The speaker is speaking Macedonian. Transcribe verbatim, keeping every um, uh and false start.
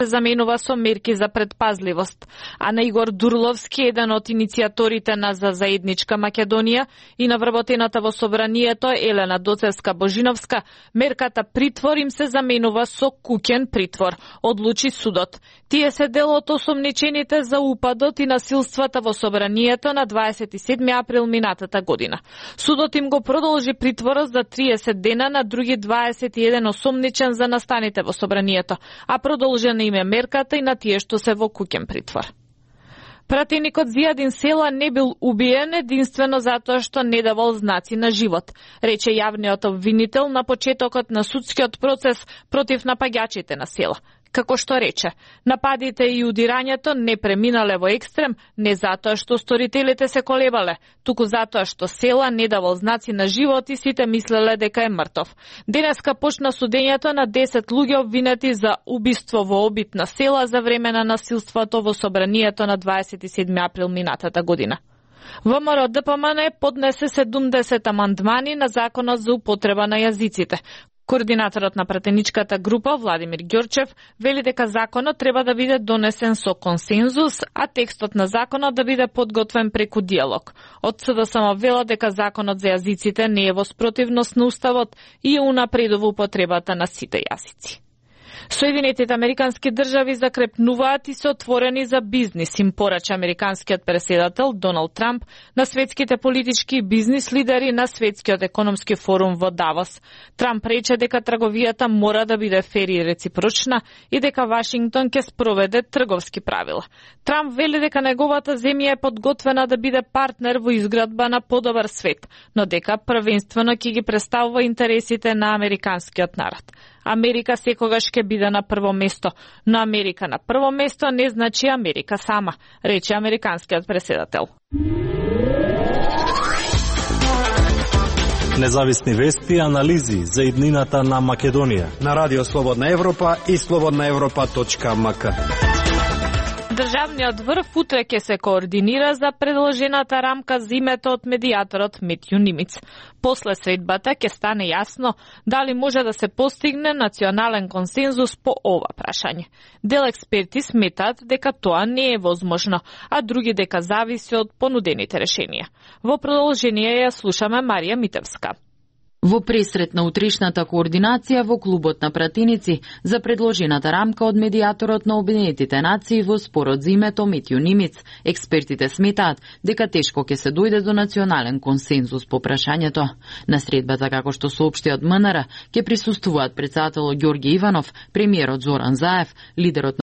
заменува со мерки за предпазливост, а на Игор Дурловски, еден од иницијаторите на За заедничка Македонија и на вработената во собранието Елена Доцевска-Божиновска, мерката притвор им се заменува со куќен притвор, одлучи судот. Тие се дел од осомничените за упадот и насилствата во собранието на дваесет и седми април минатата година. Судот им го продолжи притворот за триесет дена на други дваесет и еден осомничен за настаните во собранието, а продолжена им е мерката и на тие што се во куќен притвор. Пратеникот Зијадин Села не бил убиен единствено затоа што не давал знаци на живот, рече јавниот обвинител на почетокот на судскиот процес против напаѓачите на Села. Како што рече, нападите и удирањето не преминале во екстрем не затоа што сторителите се колебале, туку затоа што Села не давал знаци на живот и сите мислеле дека е мртов. Денеска почна судењето на десет луѓе обвинети за убиство во обид на Села за време на насилството во собранието на дваесет и седми април минатата година. ВМРО Д П М Н поднесе седумдесет амандмани на законот за употреба на јазиците. Координаторот на пратеничката група Владимир Ѓорчев вели дека законот треба да биде донесен со консензус, а текстот на законот да биде подготвен преку диалог. Од С Д С М вела дека законот за јазиците не е во спротивност на уставот и унапредува употребата на сите јазици. Соединетите американски држави закрепнуваат и се отворени за бизнис, им порача американскиот преседател Доналд Трамп на светските политички и бизнис лидери на Светскиот економски форум во Давос. Трамп рече дека трговијата мора да биде фер и реципрочна и дека Вашингтон ќе спроведе трговски правила. Трамп вели дека неговата земја е подготвена да биде партнер во изградба на подобар свет, но дека првенствено ќе ги представува интересите на американскиот народ. Америка секогаш ќе биде на прво место, но Америка на прво место не значи Америка сама, рече американскиот преседател. Независни вести и анализи за иднината на Македонија на Радио Слободна Европа и слободна европа точка м к. Државниот врв утре ќе се координира за предложената рамка за името од медијаторот Митју Нимиц. После средбата ќе стане јасно дали може да се постигне национален консензус по ова прашање. Дел експерти сметаат дека тоа не е возможно, а други дека зависи од понудените решенија. Во продолжение ја слушаме Марија Митевска. Во пресрет на утрешната координација во клубот на пратеници за предложената рамка од медијаторот на Обединетите нации во спорот за името Митју Нимиц, експертите сметаат дека тешко ќе се дојде до национален консензус по прашањето. На средбата, како што соопшти од М Н Р, ќе присуствуваат претседателот Ѓорѓе Иванов, премиерот Зоран Заев, лидерот